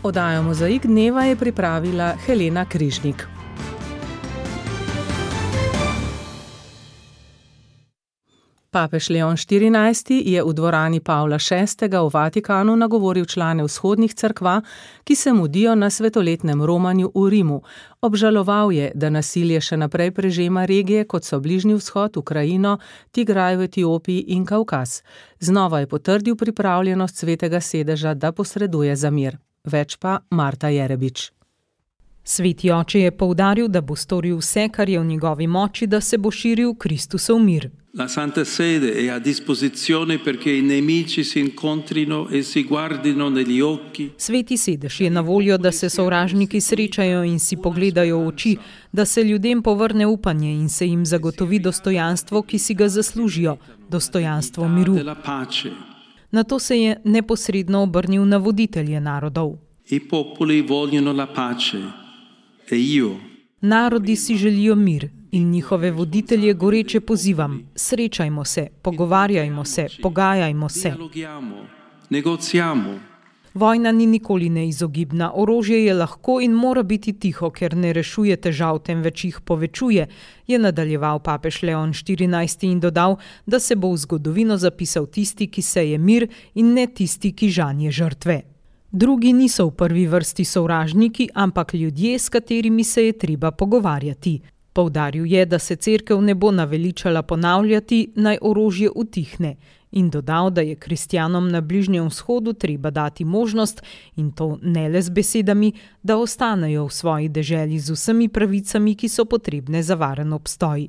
Oddajo Mozaik dneva je pripravila Helena Križnik. Papež Leon XIV. Je v dvorani Pavla VI. V Vatikanu nagovoril člane vzhodnih cerkva, ki se mudijo na svetoletnem romanju v Rimu. Obžaloval je, da nasilje še naprej prežema regije, kot so Bližnji vzhod, Ukrajino, Tigraj v Etiopiji in Kavkaz. Znova je potrdil pripravljenost Svetega sedeža, da posreduje za mir. Več pa Marta Jerebič. Sveti oče je poudaril, da bo storil vse, kar je v njegovi moči, da se bo širil Kristusov mir. La Santa Sede è a disposizione perché i nemici si incontrino e si guardino negli occhi. Sveti sedež je na voljo, da se sovražniki srečajo in si pogledajo v oči, da se ljudem povrne upanje in se jim zagotovi dostojanstvo, ki si ga zaslužijo, dostojanstvo miru. Nato se je neposredno obrnil na voditelje narodov. I popoli vogliono la pace e io. Narodi si želijo mir in njihove voditelje goreče pozivam: srečajmo se, pogovarjajmo se, pogajajmo se. Vojna ni nikoli neizogibna, orožje je lahko in mora biti tiho, ker ne rešuje težav, temveč jih povečuje, je nadaljeval papež Leon XIV. In dodal, da se bo v zgodovino zapisal tisti, ki seje mir, in ne tisti, ki žanje žrtve. Drugi niso v prvi vrsti sovražniki, ampak ljudje, s katerimi se je treba pogovarjati. Poudaril je, da se cerkev ne bo naveličala ponavljati, naj orožje utihne, in dodal, da je kristjanom na Bližnjem vzhodu treba dati možnost, in to ne le z besedami, da ostanejo v svoji deželi z vsemi pravicami, ki so potrebne za varen obstoj.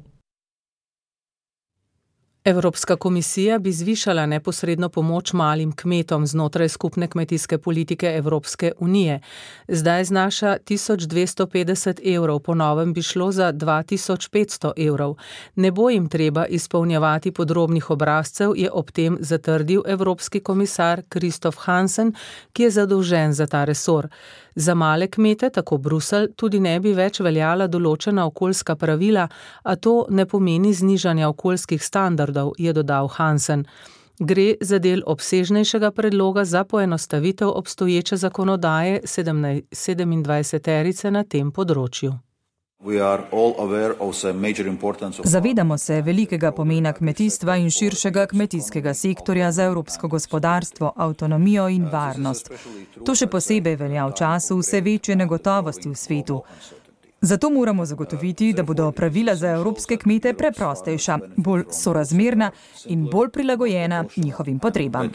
Evropska komisija bi zvišala neposredno pomoč malim kmetom znotraj skupne kmetijske politike Evropske unije. Zdaj znaša 1250 evrov, po novem bi šlo za 2500 evrov. Ne bo jim treba izpolnjevati podrobnih obrazcev, je ob tem zatrdil evropski komisar Kristof Hansen, ki je zadolžen za ta resor. Za male kmete, tako Bruselj, tudi ne bi več veljala določena okoljska pravila, a to ne pomeni znižanja okoljskih standardov, je dodal Hansen. Gre za del obsežnejšega predloga za poenostavitev obstoječe zakonodaje 27-terice na tem področju. Zavedamo se velikega pomena kmetijstva in širšega kmetijskega sektorja za evropsko gospodarstvo, avtonomijo in varnost. To še posebej velja v času vse večje negotovosti v svetu. Zato moramo zagotoviti, da bodo pravila za evropske kmete preprostejša, bolj sorazmerna in bolj prilagojena njihovim potrebam.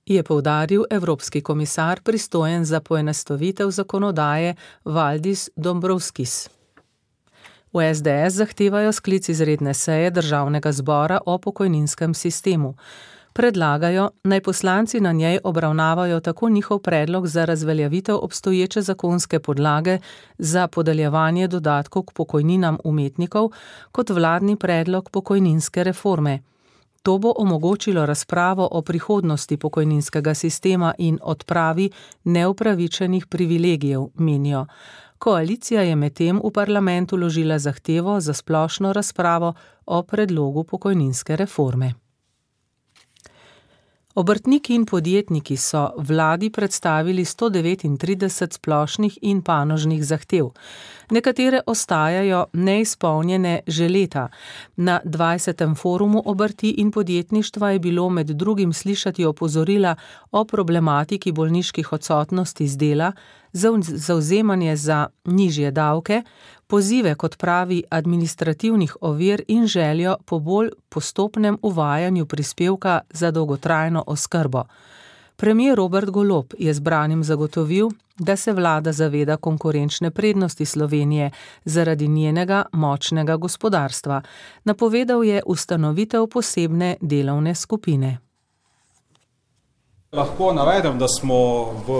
Je poudaril evropski komisar pristojen za poenostavitev zakonodaje Valdis Dombrovskis. V SDS zahtevajo sklic izredne seje državnega zbora o pokojninskem sistemu. Predlagajo, naj poslanci na njej obravnavajo tako njihov predlog za razveljavitev obstoječe zakonske podlage za podeljevanje dodatkov k pokojninam umetnikov, kot vladni predlog pokojninske reforme. To bo omogočilo razpravo o prihodnosti pokojninskega sistema in odpravi neupravičenih privilegijev, menijo. Koalicija je medtem v parlamentu vložila zahtevo za splošno razpravo o predlogu pokojninske reforme. Obrtniki in podjetniki so vladi predstavili 139 splošnih in panožnih zahtev. Nekatere ostajajo neizpolnjene že leta. Na 20. forumu obrti in podjetništva je bilo med drugim slišati opozorila o problematiki bolniških odsotnosti z dela, zavzemanje za nižje davke, pozive kot pravi administrativnih ovir in željo po bolj postopnem uvajanju prispevka za dolgotrajno oskrbo. Premier Robert Golob je zbranim zagotovil, da se vlada zaveda konkurenčne prednosti Slovenije zaradi njenega močnega gospodarstva. Napovedal je ustanovitev posebne delovne skupine. Lahko navedem, da smo v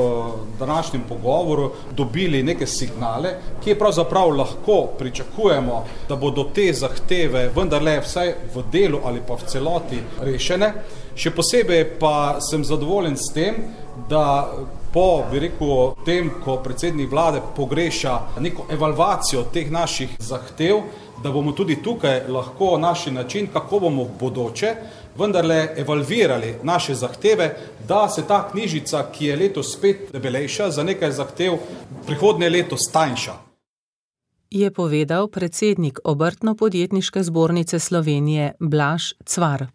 današnjem pogovoru dobili neke signale, ki pravzaprav lahko pričakujemo, da bodo te zahteve vendarle vsaj v delu ali pa v celoti rešene. Še posebej pa sem zadovoljen s tem, da po, tem, ko predsednik vlade pogreša neko evalvacijo teh naših zahtev, da bomo tudi tukaj lahko našli način, kako bomo v bodoče vendarle evalvirali naše zahteve, da se ta knjižica, ki je letos spet debelejša, za nekaj zahtev prihodnje leto stanjša. Je povedal predsednik Obrtno-podjetniške zbornice Slovenije Blaž Cvar.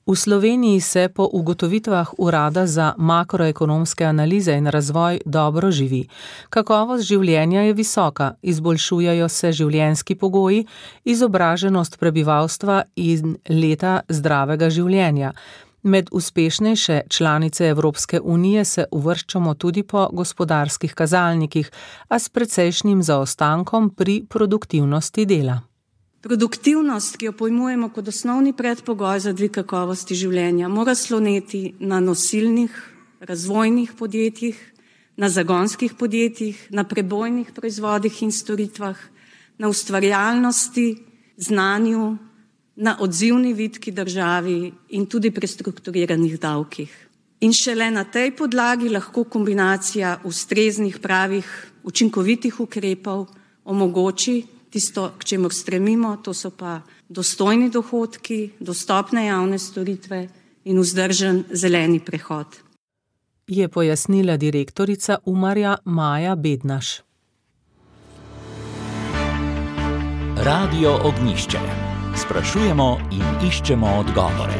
V Sloveniji se po ugotovitvah Urada za makroekonomske analize in razvoj dobro živi. Kakovost življenja je visoka, izboljšujejo se življenjski pogoji, izobraženost prebivalstva in leta zdravega življenja. Med uspešnejše članice Evropske unije se uvrščamo tudi po gospodarskih kazalnikih, a s precejšnjim zaostankom pri produktivnosti dela. Produktivnost, ki jo pojmujemo kot osnovni predpogoj za dvig kakovosti življenja, mora sloneti na nosilnih, razvojnih podjetjih, na zagonskih podjetjih, na prebojnih proizvodih in storitvah, na ustvarjalnosti, znanju, na odzivni vitki državi in tudi prestrukturiranih davkih. In šele na tej podlagi lahko kombinacija ustreznih, pravih, učinkovitih ukrepov omogoči tisto, k čemur stremimo, to so pa dostojni dohodki, dostopne javne storitve in vzdržen zeleni prehod. Je pojasnila direktorica Umarja Maja Bednaš. Radio Ognjišče. Sprašujemo in iščemo odgovore.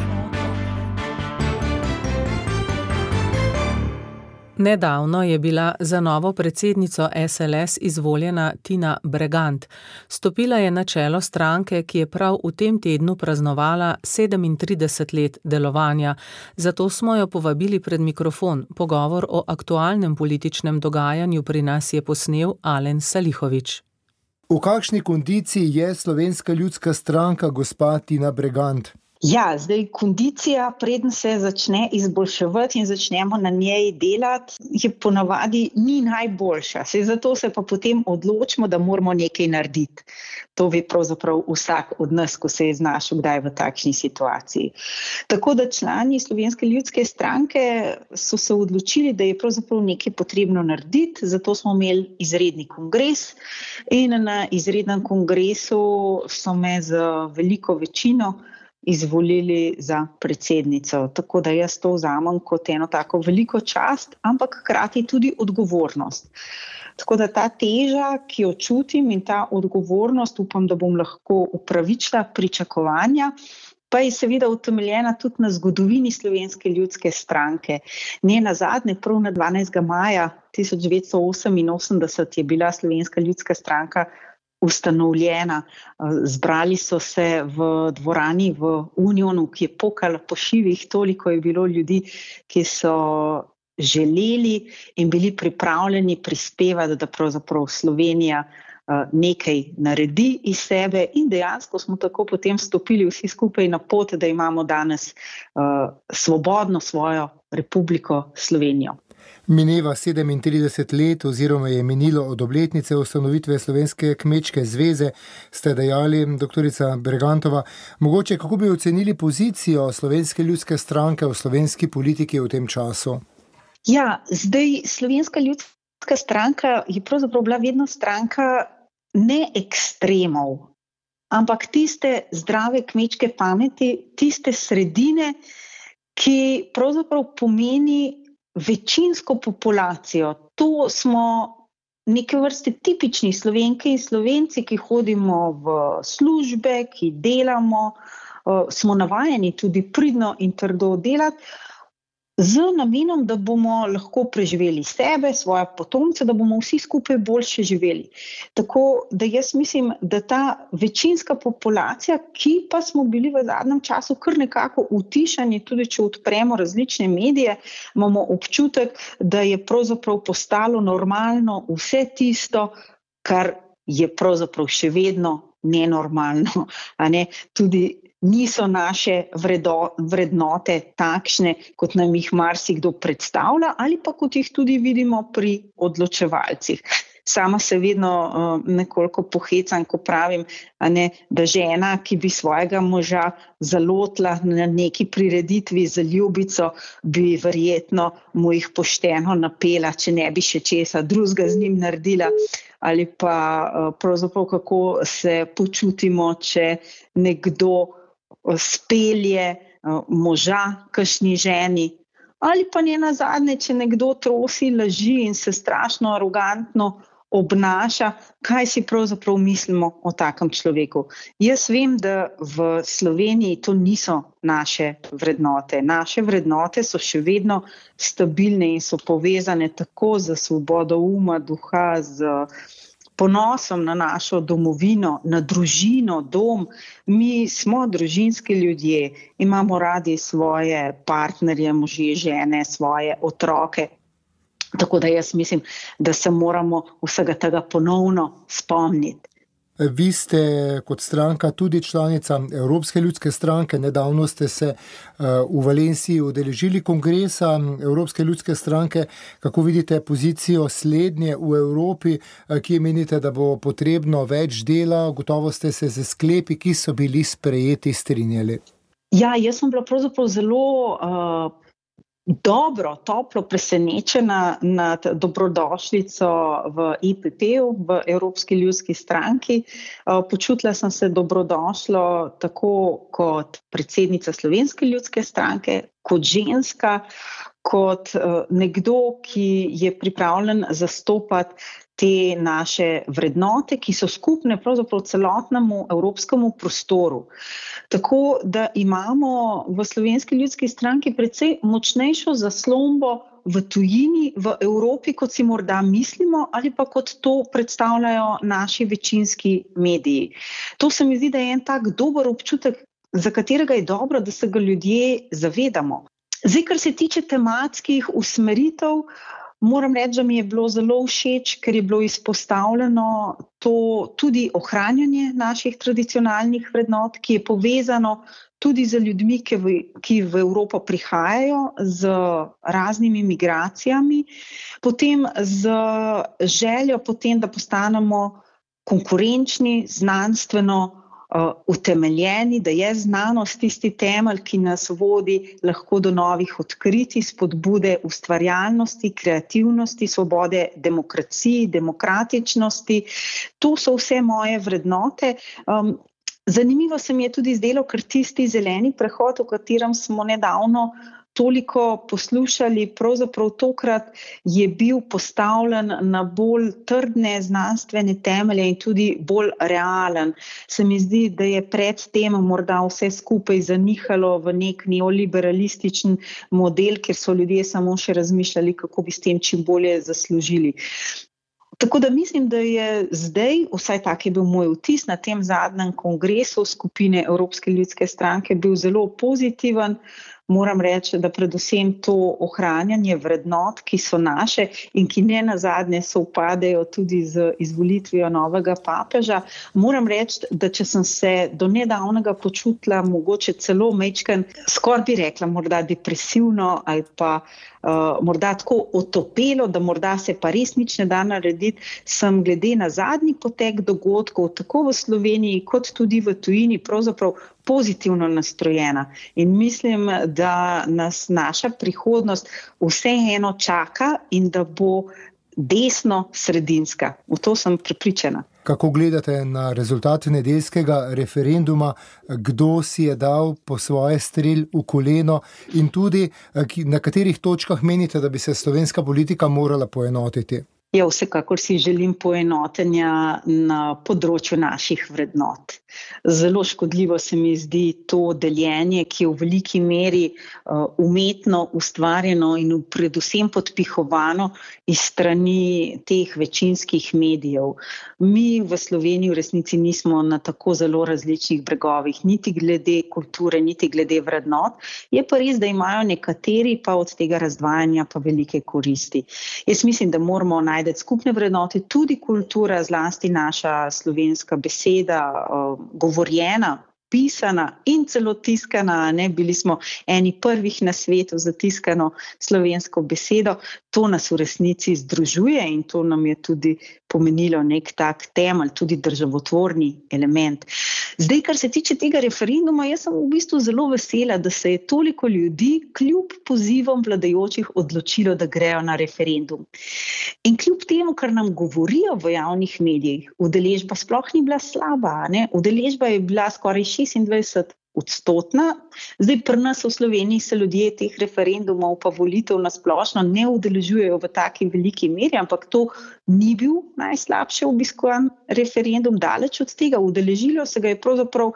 Nedavno je bila za novo predsednico SLS izvoljena Tina Bregant. Stopila je na čelo stranke, ki je prav v tem tednu praznovala 37 let delovanja. Zato smo jo povabili pred mikrofon. Pogovor o aktualnem političnem dogajanju pri nas je posnel Alen Salihović. V kakšni kondiciji je Slovenska ljudska stranka, gospa Tina Bregant? Ja, zdaj kondicija, preden se začne izboljševati in začnemo na njej delati, je ponavadi ni najboljša. Zato se pa potem odločimo, da moramo nekaj narediti. To ve pravzaprav vsak od nas, ko se je znašel kdaj v takšni situaciji. Tako da člani Slovenske ljudske stranke so se odločili, da je pravzaprav nekaj potrebno narediti, zato smo imeli izredni kongres in na izrednem kongresu so me z veliko večino izvolili za predsednico. Tako da jaz to vzamem kot eno tako veliko čast, ampak hkrati tudi odgovornost. Tako da ta teža, ki jo čutim in ta odgovornost, upam, da bom lahko upravičila pričakovanja, pa je seveda utemeljena tudi na zgodovini Slovenske ljudske stranke. Nenazadnje, prav na 12. maja 1988 je bila Slovenska ljudska stranka ustanovljena. Zbrali so se v dvorani v Unionu, ki je pokala po šivih, toliko je bilo ljudi, ki so želeli in bili pripravljeni prispevati, da pravzaprav Slovenija nekaj naredi iz sebe in dejansko smo tako potem stopili vsi skupaj na pot, da imamo danes svobodno svojo Republiko Slovenijo. Mineva 37 let oziroma je minilo od obletnice ustanovitve Slovenske kmečke zveze, ste dejali, doktorica Bregantova. Mogoče, kako bi ocenili pozicijo Slovenske ljudske stranke v slovenski politiki v tem času? Ja, zdaj Slovenska ljudska stranka je pravzaprav bila vedno stranka ne ekstremov, ampak tiste zdrave kmečke pameti, tiste sredine, ki pravzaprav pomeni večinsko populacijo. To smo neke vrste tipični Slovenke in Slovenci, ki hodimo v službe, ki delamo, smo navajeni tudi pridno in trdo delati, z namenom, da bomo lahko preživeli sebe, svoje potomce, da bomo vsi skupaj boljše živeli. Tako da jaz mislim, da ta večinska populacija, ki pa smo bili v zadnjem času kar nekako utišani, tudi če odpremo različne medije, imamo občutek, da je pravzaprav postalo normalno vse tisto, kar je pravzaprav še vedno nenormalno, a ne? Tudi niso naše vrednote takšne, kot nam jih marsikdo predstavlja ali pa kot jih tudi vidimo pri odločevalcih. Sama se vedno nekoliko pohecam, ko pravim, da žena, ki bi svojega moža zalotila na neki prireditvi za ljubico, bi verjetno mu jih pošteno napela, če ne bi še česa drugega z njim naredila. ali pa pravzaprav kako se počutimo, če nekdo spelje moža kakšni ženi, ali pa nenazadnje, če nekdo trosi laži in se strašno arogantno obnaša, kaj si pravzaprav mislimo o takem človeku. Jaz vem, da v Sloveniji to niso naše vrednote. Naše vrednote so še vedno stabilne in so povezane tako z svobodo uma, duha, z ponosom na našo domovino, na družino, dom. Mi smo družinski ljudje, imamo radi svoje partnerje, može, žene, svoje otroke. Tako da jaz mislim, da se moramo vsega tega ponovno spomniti. Vi ste kot stranka tudi članica Evropske ljudske stranke. Nedavno ste se v Valenciji udeležili kongresa Evropske ljudske stranke. Kako vidite pozicijo slednje v Evropi, kje menite, da bo potrebno več dela? Gotovo ste se z sklepi, ki so bili sprejeti, strinjali. Ja, jaz sem bila pravzaprav zelo dobro, toplo presenečena nad dobrodošlico v EPP-u, v Evropski ljudski stranki. Počutila sem se dobrodošlo tako kot predsednica Slovenske ljudske stranke, kot ženska, kot nekdo, ki je pripravljen zastopati te naše vrednote, ki so skupne pravzaprav celotnemu evropskemu prostoru. Tako da imamo v Slovenski ljudski stranki precej močnejšo zaslombo v tujini, v Evropi, kot si morda mislimo, ali pa kot to predstavljajo naši večinski mediji. To se mi zdi, da je en tak dober občutek, za katerega je dobro, da se ga ljudje zavedamo. Zdaj, kar se tiče tematskih usmeritev, moram reči, da mi je bilo zelo všeč, ker je bilo izpostavljeno to tudi ohranjanje naših tradicionalnih vrednot, ki je povezano tudi z ljudmi, ki v Evropo prihajajo z raznimi migracijami, potem z željo potem, da postanemo konkurenčni, znanstveno utemeljeni, da je znanost tisti temelj, ki nas vodi lahko do novih odkritij, spodbude ustvarjalnosti, kreativnosti, svobode demokraciji, demokratičnosti. To so vse moje vrednote. Zanimivo se mi je tudi zdelo, ker tisti zeleni prehod, o katerem smo nedavno toliko poslušali, pravzaprav tokrat je bil postavljen na bolj trdne znanstvene temelje in tudi bolj realen. Se mi zdi, da je pred tem morda vse skupaj zanihalo v nek neoliberalističen model, kjer so ljudje samo še razmišljali, kako bi s tem čim bolje zaslužili. Tako da mislim, da je zdaj, vsaj tak je bil moj vtis na tem zadnjem kongresu skupine Evropske ljudske stranke, bil zelo pozitiven. Moram reči, da predvsem to ohranjanje vrednot, ki so naše in ki ne nazadnje sovpadejo tudi z izvolitvijo novega papeža. Moram reči, da če sem se do nedavnega počutila mogoče celo majčken, skoraj bi rekla morda depresivno ali pa morda tako otopelo, da morda se pa res nič ne da narediti, sem glede na zadnji potek dogodkov, tako v Sloveniji kot tudi v tujini, pravzaprav pozitivno nastrojena. In mislim, da nas naša prihodnost vseeno čaka in da bo desno-sredinska. V to sem prepričana. Kako gledate na rezultat nedeljskega referenduma, kdo si je dal po svoje strel v koleno in tudi na katerih točkah menite, da bi se slovenska politika morala poenotiti? Ja, vsekakor si želim poenotenja na področju naših vrednot. Zelo škodljivo se mi zdi to deljenje, ki je v veliki meri umetno ustvarjeno in predvsem podpihovano iz strani teh večinskih medijev. Mi v Sloveniji v resnici nismo na tako zelo različnih bregovih, niti glede kulture, niti glede vrednot. Je pa res, da imajo nekateri pa od tega razdvajanja pa velike koristi. Jaz mislim, da moramo najti skupne vrednote, tudi kultura, zlasti naša slovenska beseda, govorjena, pisana in celo tiskana, bili smo eni prvih na svetu za tiskano slovensko besedo. To nas v resnici združuje in to nam je tudi pomenilo nek tak temelj, tudi državotvorni element. Zdaj, kar se tiče tega referenduma, jaz sem v bistvu zelo vesela, da se je toliko ljudi kljub pozivom vladajočih odločilo, da grejo na referendum. In kljub temu, kar nam govorijo v javnih medijih, udeležba sploh ni bila slaba, ne? Udeležba je bila skoraj 26%. Zdaj pri nas v Sloveniji se ljudje teh referendumov pa volitev na splošno ne udeležujejo v taki veliki meri, ampak to ni bil najslabše obiskovan referendum, daleč od tega. Udeležilo se ga je pravzaprav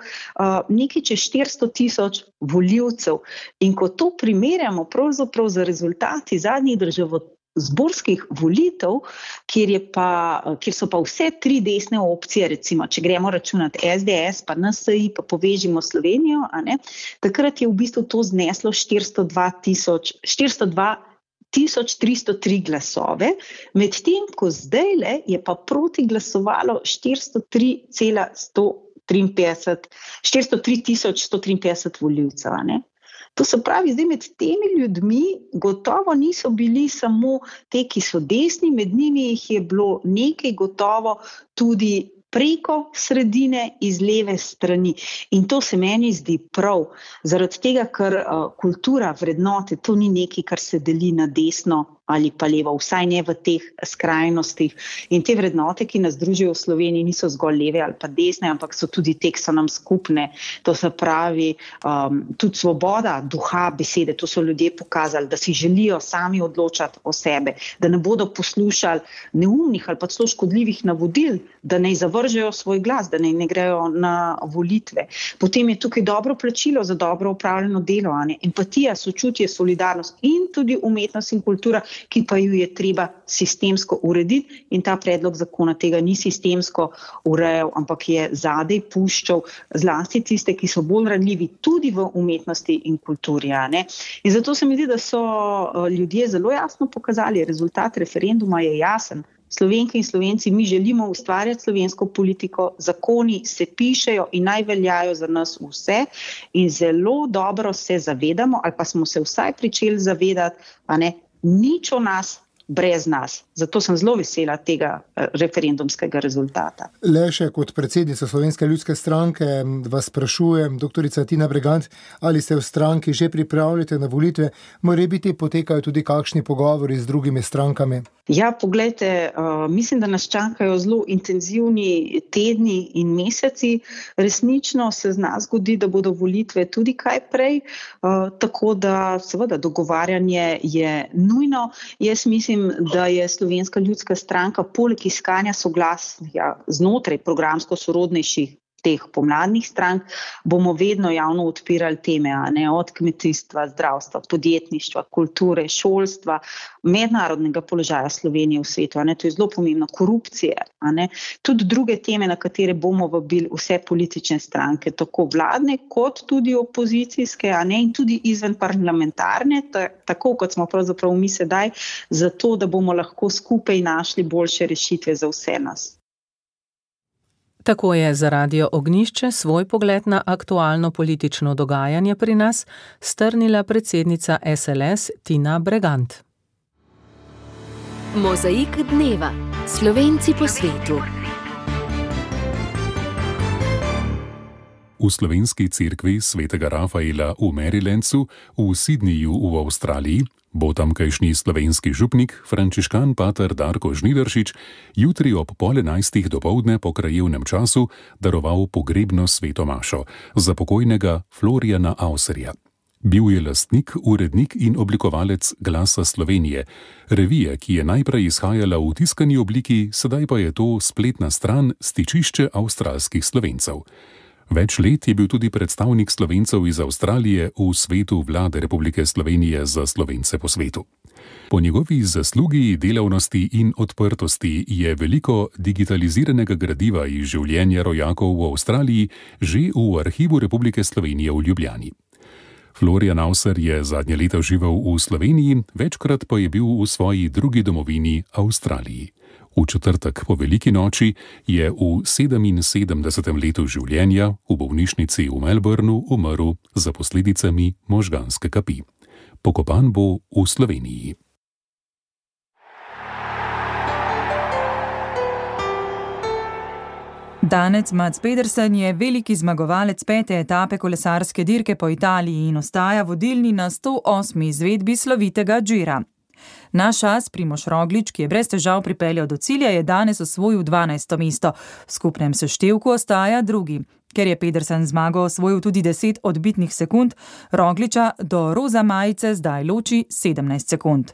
nekaj čez 400,000 volivcev. In ko to primerjamo pravzaprav z rezultati zadnjih zborskih volitev, kjer so pa vse tri desne opcije, recimo, če gremo računati SDS, pa NSI, pa Povežimo Slovenijo, takrat je v bistvu to zneslo 402,303 glasove, medtem ko zdajle je pa proti glasovalo 403,153 volivcev, To se pravi, zdaj med temi ljudmi gotovo niso bili samo te, ki so desni, med njimi jih je bilo nekaj gotovo tudi preko sredine, iz leve strani. In to se meni zdi prav, zaradi tega, ker kultura, vrednote, to ni nekaj, kar se deli na desno ali pa levo, vsaj ne v teh skrajnostih. In te vrednote, ki nas družijo v Sloveniji, niso zgolj leve ali pa desne, ampak so tudi te, ki so nam skupne. To se pravi, tudi svoboda duha, besede, to so ljudje pokazali, da si želijo sami odločati o sebe, da ne bodo poslušali neumnih ali pa celo škodljivih navodil, da ne zavržejo svoj glas, da ne grejo na volitve. Potem je tukaj dobro plačilo za dobro opravljeno delo, empatija, sočutje, solidarnost in tudi umetnost in kultura, ki pa ju je treba sistemsko urediti, in ta predlog zakona tega ni sistemsko urejal, ampak je zadaj puščal zlasti tiste, ki so bolj ranljivi tudi v umetnosti in kulturi. In zato se mi zdi, da so ljudje zelo jasno pokazali, rezultat referenduma je jasen. Slovenke in Slovenci, mi želimo ustvarjati slovensko politiko, zakoni se pišejo in naj veljajo za nas vse in zelo dobro se zavedamo, ali pa smo se vsaj pričeli zavedati, nič o nas brez nas. Zato sem zelo vesela tega referendumskega rezultata. Le še kot predsednica Slovenske ljudske stranke vas sprašujem, doktorica Tina Bregant, ali se v stranki že pripravljate na volitve, morebiti potekajo tudi kakšni pogovori z drugimi strankami? Ja, poglejte, mislim, da nas čakajo zelo intenzivni tedni in meseci. Resnično se zna zgodi, da bodo volitve tudi kaj prej, tako da seveda dogovarjanje je nujno. Jaz mislim, da je Slovenska ljudska stranka poleg iskanja soglasja znotraj programsko sorodnejših teh pomladnih strank, bomo vedno javno odpirali teme, od kmetijstva, zdravstva, podjetništva, kulture, šolstva, mednarodnega položaja Slovenije v svetu, to je zelo pomembno, korupcije, tudi druge teme, na katere bomo vabili vse politične stranke, tako vladne kot tudi opozicijske, in tudi izven parlamentarne, tako kot smo pravzaprav mi sedaj, zato da bomo lahko skupaj našli boljše rešitve za vse nas. Tako je za Radio Ognjišče svoj pogled na aktualno politično dogajanje pri nas strnila predsednica SLS Tina Bregant. Mozaik dneva. Slovenci po svetu. V slovenski cerkvi svetega Rafaela v Marylandu v Sydneyju v Avstraliji bo tamkajšnji slovenski župnik, frančiškan pater Darko Žnidaršič, jutri ob 10:30 dopoldne po krajevnem času daroval pogrebno sveto mašo za pokojnega Floriana Auserja. Bil je lastnik, urednik in oblikovalec Glasa Slovenije, revije, ki je najprej izhajala v tiskani obliki, sedaj pa je to spletna stran, stičišče avstralskih Slovencev. Več let je bil tudi predstavnik Slovencev iz Avstralije v svetu vlade Republike Slovenije za Slovence po svetu. Po njegovi zaslugi, delavnosti in odprtosti je veliko digitaliziranega gradiva iz življenja rojakov v Avstraliji že v Arhivu Republike Slovenije v Ljubljani. Florian Auser je zadnje leta živel v Sloveniji, večkrat pa je bil v svoji drugi domovini Avstraliji. V četrtek po veliki noči je v 77. letu življenja v bolnišnici v Melbournu umrl za posledicami možganske kapi. Pokopan bo v Sloveniji. Danec Mats Pedersen je veliki zmagovalec 5. etape kolesarske dirke po Italiji in ostaja vodilni na 108. izvedbi slovitega Gira. Naš as Primož Roglič, ki je brez težav pripeljal do cilja, je danes osvojil 12. mesto. V skupnem seštevku ostaja drugi. Ker je Pedersen zmago osvojil tudi 10 odbitnih sekund, Rogliča do roza majice zdaj loči 17 sekund.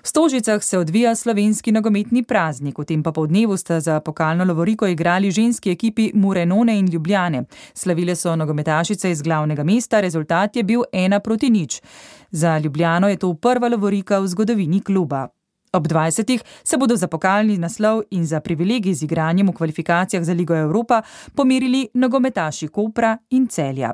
V Stožicah se odvija slovenski nogometni praznik. V tem popoldnevu sta za pokalno lovoriko igrali ženski ekipi Murenone in Ljubljane. Slavile so nogometašice iz glavnega mesta, rezultat je bil 1-0. Za Ljubljano je to prva lovorika v zgodovini kluba. Ob 20. se bodo za pokalni naslov in za privilegij z igranjem v kvalifikacijah za Ligo Evropa pomerili nogometaši Kopra in Celja.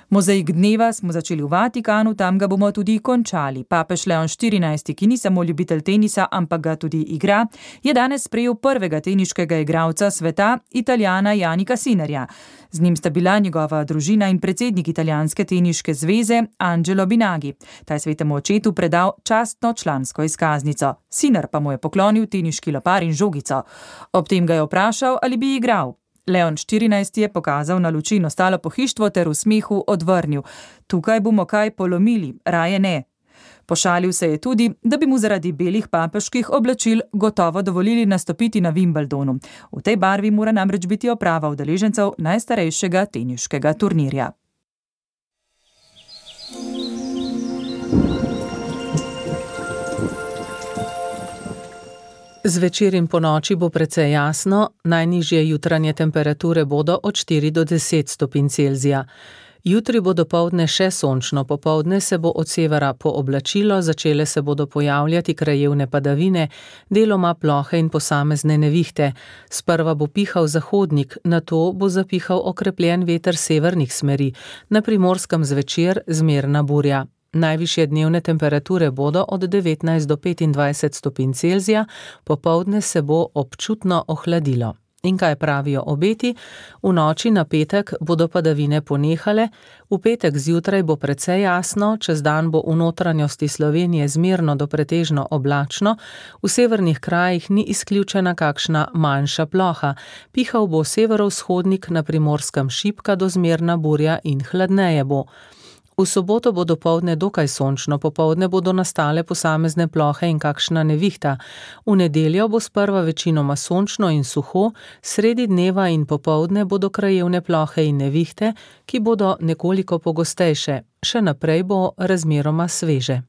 Mozaik dneva smo začeli v Vatikanu, tam ga bomo tudi končali. Papež Leon XIV, ki ni samo ljubitelj tenisa, ampak ga tudi igra, je danes sprejel prvega teniškega igralca sveta, Italijana Jannika Sinnerja. Z njim sta bila njegova družina in predsednik Italijanske teniške zveze Angelo Binagi. Ta je svetemu očetu predal častno člansko izkaznico. Sinner pa mu je poklonil teniški lopar in žogico. Ob tem ga je vprašal, ali bi igral. Leon XIV je pokazal na luči in ostalo pohištvo ter v smehu odvrnil: "Tukaj bomo kaj polomili, raje ne." Pošalil se je tudi, da bi mu zaradi belih papeških oblačil gotovo dovolili nastopiti na Wimbledonu. V tej barvi mora namreč biti oprava udeležencev najstarejšega teniškega turnirja. Zvečer in ponoči bo precej jasno, najnižje jutranje temperature bodo od 4 do 10 stopinj Celzija. Jutri bo dopoldne še sončno, popoldne se bo od severa pooblačilo, začele se bodo pojavljati krajevne padavine, deloma plohe in posamezne nevihte. Sprva bo pihal zahodnik, nato bo zapihal okrepljen veter severnih smeri, na Primorskem zvečer zmerna burja. Najvišje dnevne temperature bodo od 19 do 25 stopinj Celzija, popoldne se bo občutno ohladilo. In kaj pravijo obeti? V noči na petek bodo padavine ponehale, v petek zjutraj bo precej jasno, čez dan bo v notranjosti Slovenije zmerno do pretežno oblačno, v severnih krajih ni izključena kakšna manjša ploha, pihal bo severovzhodnik, na Primorskem šibka do zmerna burja in hladneje bo. V soboto bo dopoldne dokaj sončno, popoldne bodo nastale posamezne plohe in kakšna nevihta. V nedeljo bo sprva večinoma sončno in suho, sredi dneva in popoldne bodo krajevne plohe in nevihte, ki bodo nekoliko pogostejše. Še naprej bo razmeroma sveže.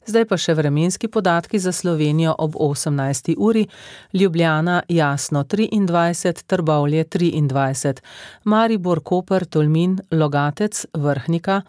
Zdaj pa še vremenski podatki za Slovenijo ob 18. uri. Ljubljana jasno 23, Trbovlje 23, Maribor, Koper, Tolmin, Logatec, Vrhnika,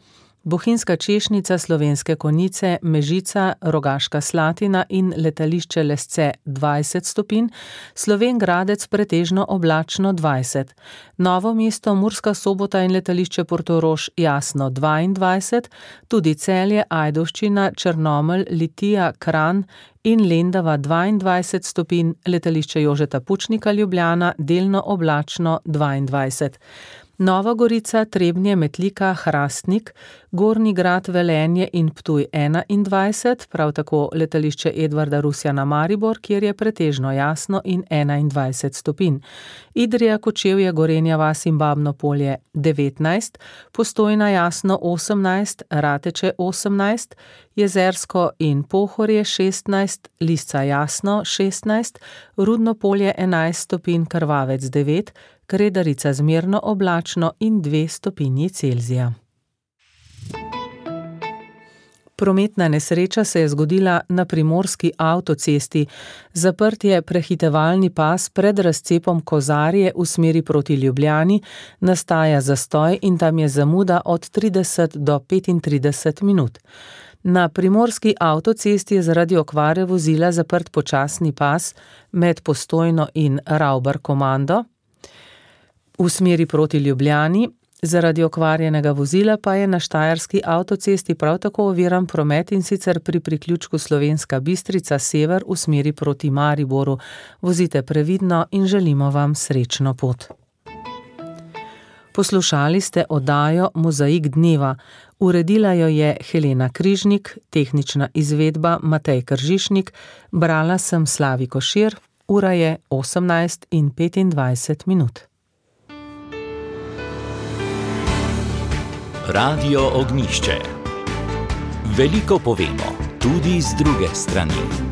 Bohinjska Češnica, Slovenske Konjice, Mežica, Rogaška Slatina in letališče Lesce 20 stopinj, Slovenj Gradec pretežno oblačno 20, Novo mesto, Murska Sobota in letališče Portorož jasno 22, tudi Celje, Ajdovščina, Črnomelj, Litija, Kranj in Lendava 22 stopinj, letališče Jožeta Pučnika Ljubljana delno oblačno 22. Nova Gorica, Trebnje, Metlika, Hrastnik, Gornji Grad, Velenje in Ptuj 21, prav tako letališče Edvarda Rusjana Maribor, kjer je pretežno jasno in 21 stopinj. Idrija, Kočevje, Gorenja vas in Babno Polje 19, Postojna jasno 18, Rateče 18, Jezersko in Pohorje 16, Lisca jasno 16, Rudno Polje 11 stopinj, Krvavec 9, Kredarica zmerno oblačno in 2 stopinji Celzija. Prometna nesreča se je zgodila na primorski avtocesti. Zaprt je prehitevalni pas pred razcepom Kozarje v smeri proti Ljubljani, nastaja zastoj in tam je zamuda od 30 do 35 minut. Na primorski avtocesti je zaradi okvare vozila zaprt počasni pas med Postojno in Ravbar Komando. V smeri proti Ljubljani, zaradi okvarjenega vozila pa je na štajerski avtocesti prav tako oviran promet, in sicer pri priključku Slovenska Bistrica sever v smeri proti Mariboru. Vozite previdno in želimo vam srečno pot. Poslušali ste oddajo Mozaik dneva. Uredila jo je Helena Križnik, tehnična izvedba Matej Kržišnik, brala sem Slavi Košir. Ura je 18:25. Radio Ognjišče. Veliko povemo, tudi z druge strani.